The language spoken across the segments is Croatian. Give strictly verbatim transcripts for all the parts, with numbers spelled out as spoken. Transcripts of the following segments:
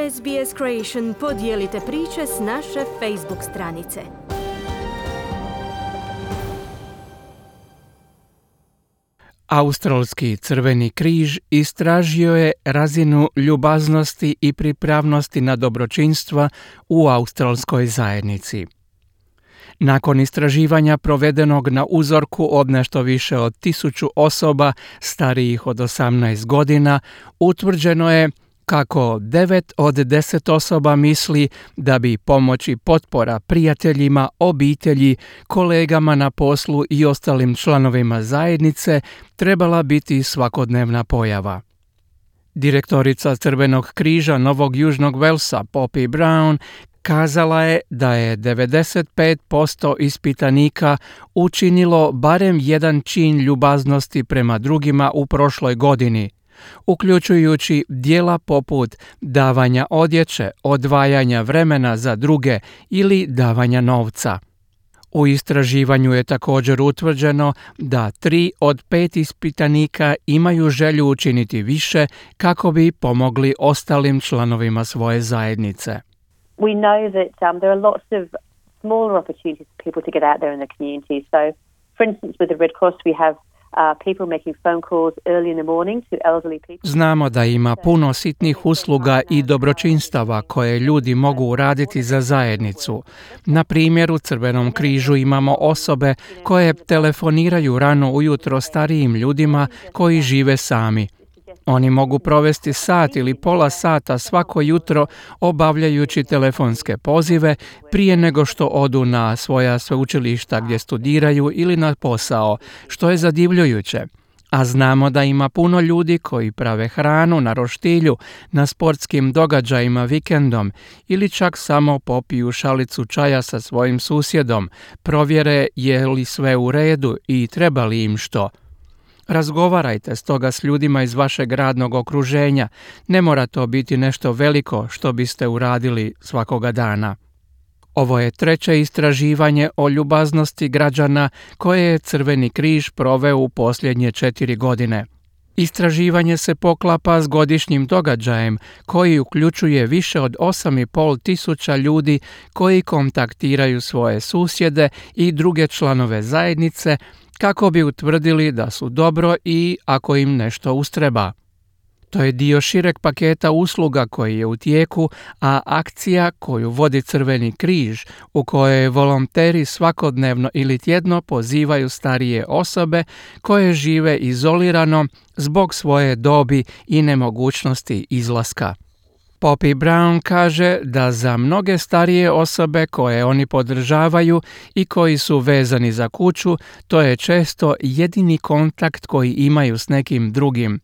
S B S Creation podijelite priče s naše Facebook stranice. Australski Crveni križ istražio je razinu ljubaznosti i pripravnosti na dobročinstva u australskoj zajednici. Nakon istraživanja provedenog na uzorku od nešto više od tisuću osoba starijih od osamnaest godina, utvrđeno je kako devet od deset osoba misli da bi pomoć i potpora prijateljima, obitelji, kolegama na poslu i ostalim članovima zajednice trebala biti svakodnevna pojava. Direktorica Crvenog križa Novog Južnog Velsa, Poppy Brown, kazala je da je devedeset pet posto ispitanika učinilo barem jedan čin ljubaznosti prema drugima u prošloj godini, uključujući djela poput davanja odjeće, odvajanja vremena za druge ili davanja novca. U istraživanju je također utvrđeno da tri od pet ispitanika imaju želju učiniti više kako bi pomogli ostalim članovima svoje zajednice. We know that um, there are lots of smaller opportunities for people to get out there in the community. So, for instance, with the Red Cross, we have uh, people making phone calls early in the morning to elderly people. Znamo da ima puno sitnih usluga i dobročinstava koje ljudi mogu uraditi za zajednicu. Na primjer, u Crvenom križu imamo osobe koje telefoniraju rano ujutro starijim ljudima koji žive sami. Oni mogu provesti sat ili pola sata svako jutro obavljajući telefonske pozive prije nego što odu na svoja sveučilišta gdje studiraju ili na posao, što je zadivljujuće. A znamo da ima puno ljudi koji prave hranu na roštilju, na sportskim događajima vikendom ili čak samo popiju šalicu čaja sa svojim susjedom, provjere je li sve u redu i treba li im što. Razgovarajte stoga s ljudima iz vašeg radnog okruženja, ne mora to biti nešto veliko što biste uradili svakoga dana. Ovo je treće istraživanje o ljubaznosti građana koje je Crveni križ proveo u posljednje četiri godine. Istraživanje se poklapa s godišnjim događajem koji uključuje više od osam i pol tisuća ljudi koji kontaktiraju svoje susjede i druge članove zajednice kako bi utvrdili da su dobro i ako im nešto ustreba. To je dio šireg paketa usluga koji je u tijeku, a akcija koju vodi Crveni križ, u kojoj volonteri svakodnevno ili tjedno pozivaju starije osobe koje žive izolirano zbog svoje dobi i nemogućnosti izlaska. Poppy Brown kaže da za mnoge starije osobe koje oni podržavaju i koji su vezani za kuću, to je često jedini kontakt koji imaju s nekim drugim.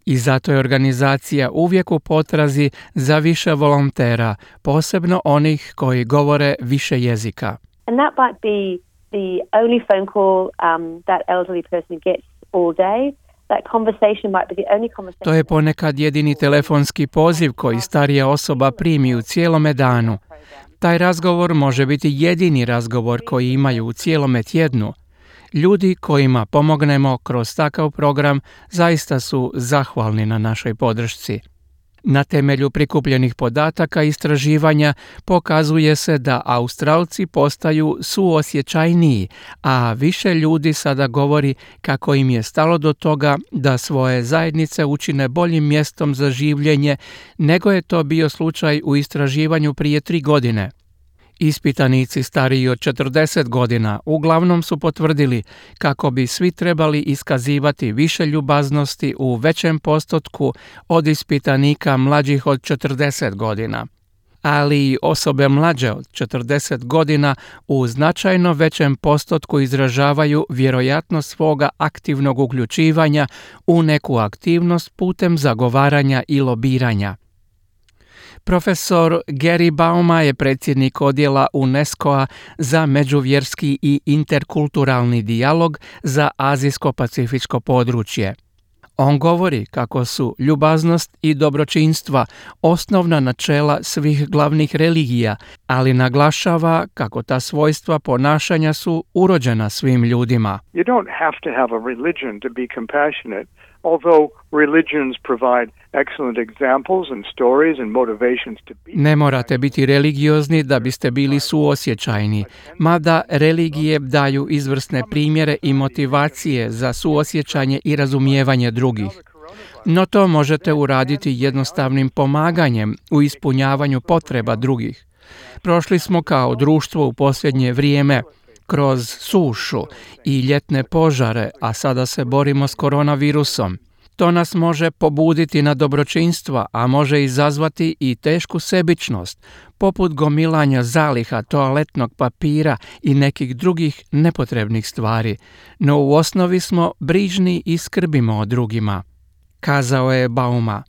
I zato je organizacija uvijek u potrazi za više volontera, posebno onih koji govore više jezika. And that might be the only phone call um, that elderly person gets all day. To je ponekad jedini telefonski poziv koji starija osoba primi u cijelome danu. Taj razgovor može biti jedini razgovor koji imaju u cijelome tjednu. Ljudi kojima pomognemo kroz takav program zaista su zahvalni na našoj podršci. Na temelju prikupljenih podataka istraživanja pokazuje se da Australci postaju suosjećajniji, a više ljudi sada govori kako im je stalo do toga da svoje zajednice učine boljim mjestom za življenje nego je to bio slučaj u istraživanju prije tri godine. Ispitanici stariji od četrdeset godina uglavnom su potvrdili kako bi svi trebali iskazivati više ljubaznosti u većem postotku od ispitanika mlađih od četrdeset godina. Ali i osobe mlađe od četrdeset godina u značajno većem postotku izražavaju vjerojatnost svoga aktivnog uključivanja u neku aktivnost putem zagovaranja i lobiranja. Profesor Gary Bauma je predsjednik odjela UNESCO-a za međuvjerski i interkulturalni dijalog za azijsko-pacifičko područje. On govori kako su ljubaznost i dobročinstva osnovna načela svih glavnih religija, ali naglašava kako ta svojstva ponašanja su urođena svim ljudima. You don't have to have a religion to be compassionate. Although religions provide excellent examples and stories and motivations to be. Ne morate biti religiozni da biste bili suosjećajni, mada religije daju izvrsne primjere i motivacije za suosjećanje i razumijevanje drugih. No to možete uraditi jednostavnim pomaganjem u ispunjavanju potreba drugih. Prošli smo kao društvo u posljednje vrijeme kroz sušu i ljetne požare, a sada se borimo s koronavirusom. To nas može pobuditi na dobročinstva, a može izazvati i tešku sebičnost, poput gomilanja zaliha toaletnog papira i nekih drugih nepotrebnih stvari. No u osnovi smo brižni i skrbimo o drugima, kazao je Bauma.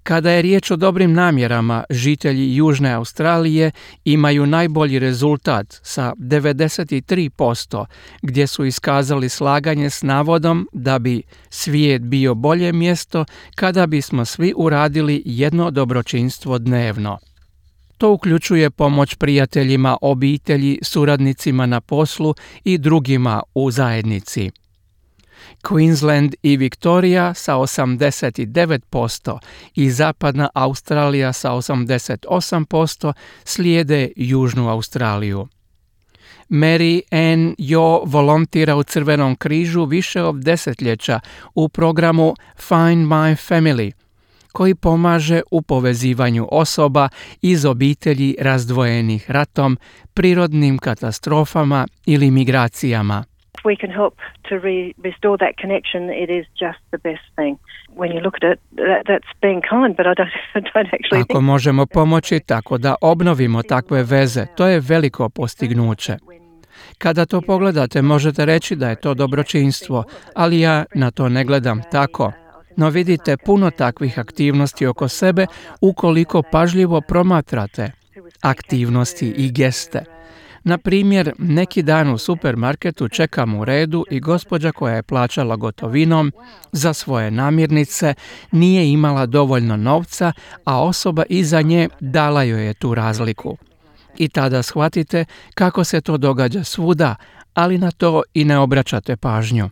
Kada je riječ o dobrim namjerama, žitelji Južne Australije imaju najbolji rezultat sa devedeset tri posto, gdje su iskazali slaganje s navodom da bi svijet bio bolje mjesto kada bismo svi uradili jedno dobročinstvo dnevno. To uključuje pomoć prijateljima, obitelji, suradnicima na poslu i drugima u zajednici. Queensland i Victoria sa osamdeset devet posto i Zapadna Australija sa osamdeset osam posto slijede Južnu Australiju. Mary Ann Jo volontira u Crvenom križu više od desetljeća u programu Find My Family, koji pomaže u povezivanju osoba iz obitelji razdvojenih ratom, prirodnim katastrofama ili migracijama. We can help to re- restore that connection. It is just the best thing. When you look at it, that, that's being kind, but I don't, I don't actually Ako think... možemo pomoći tako da obnovimo takve veze, to je veliko postignuće. Kada to pogledate, možete reći da je to dobročinstvo, ali ja na to ne gledam tako. No vidite puno takvih aktivnosti oko sebe ukoliko pažljivo promatrate aktivnosti i geste. Na primjer, neki dan u supermarketu čekam u redu i gospođa koja je plaćala gotovinom za svoje namirnice nije imala dovoljno novca, a osoba iza nje dala joj je tu razliku. I tada shvatite kako se to događa svuda, ali na to i ne obraćate pažnju.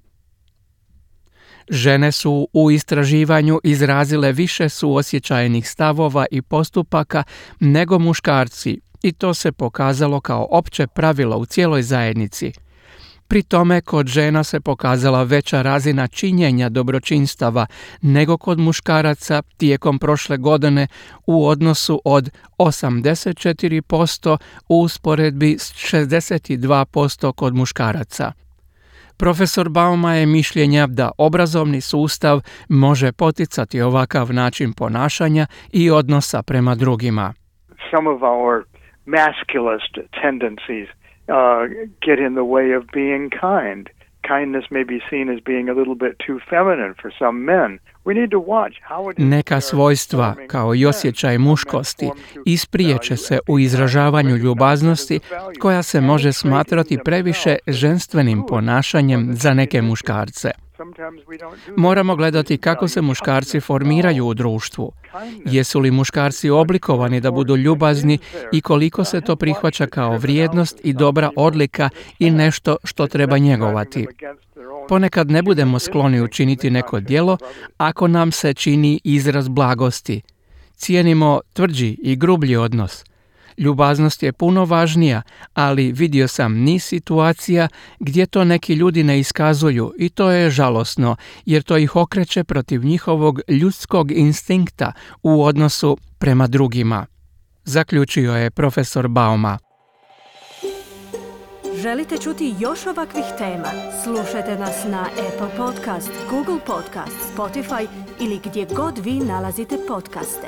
Žene su u istraživanju izrazile više suosjećajnih stavova i postupaka nego muškarci, i to se pokazalo kao opće pravilo u cijeloj zajednici. Pri tome kod žena se pokazala veća razina činjenja dobročinstava nego kod muškaraca tijekom prošle godine u odnosu od osamdeset četiri posto u usporedbi s šezdeset dva posto kod muškaraca. Profesor Bauma je mišljenja da obrazovni sustav može poticati ovakav način ponašanja i odnosa prema drugima. Some of our masculist tendencies uh, get in the way of being kind. Kindness may be seen as being a little bit too feminine for some men. We need to watch how it is. Neka svojstva, kao i osjećaj muškosti, ispriječe se u izražavanju ljubaznosti koja se može smatrati previše ženstvenim ponašanjem za neke muškarce. Moramo gledati kako se muškarci formiraju u društvu. Jesu li muškarci oblikovani da budu ljubazni i koliko se to prihvaća kao vrijednost i dobra odlika i nešto što treba njegovati. Ponekad ne budemo skloni učiniti neko djelo ako nam se čini izraz blagosti. Cijenimo tvrđi i grublji odnos. Ljubaznost je puno važnija, ali vidio sam niz situacija gdje to neki ljudi ne iskazuju i to je žalosno, jer to ih okreće protiv njihovog ljudskog instinkta u odnosu prema drugima. Zaključio je profesor Bauma. Želite čuti još ovakvih tema? Slušajte nas na Apple Podcast, Google Podcast, Spotify ili gdje god vi nalazite podcaste.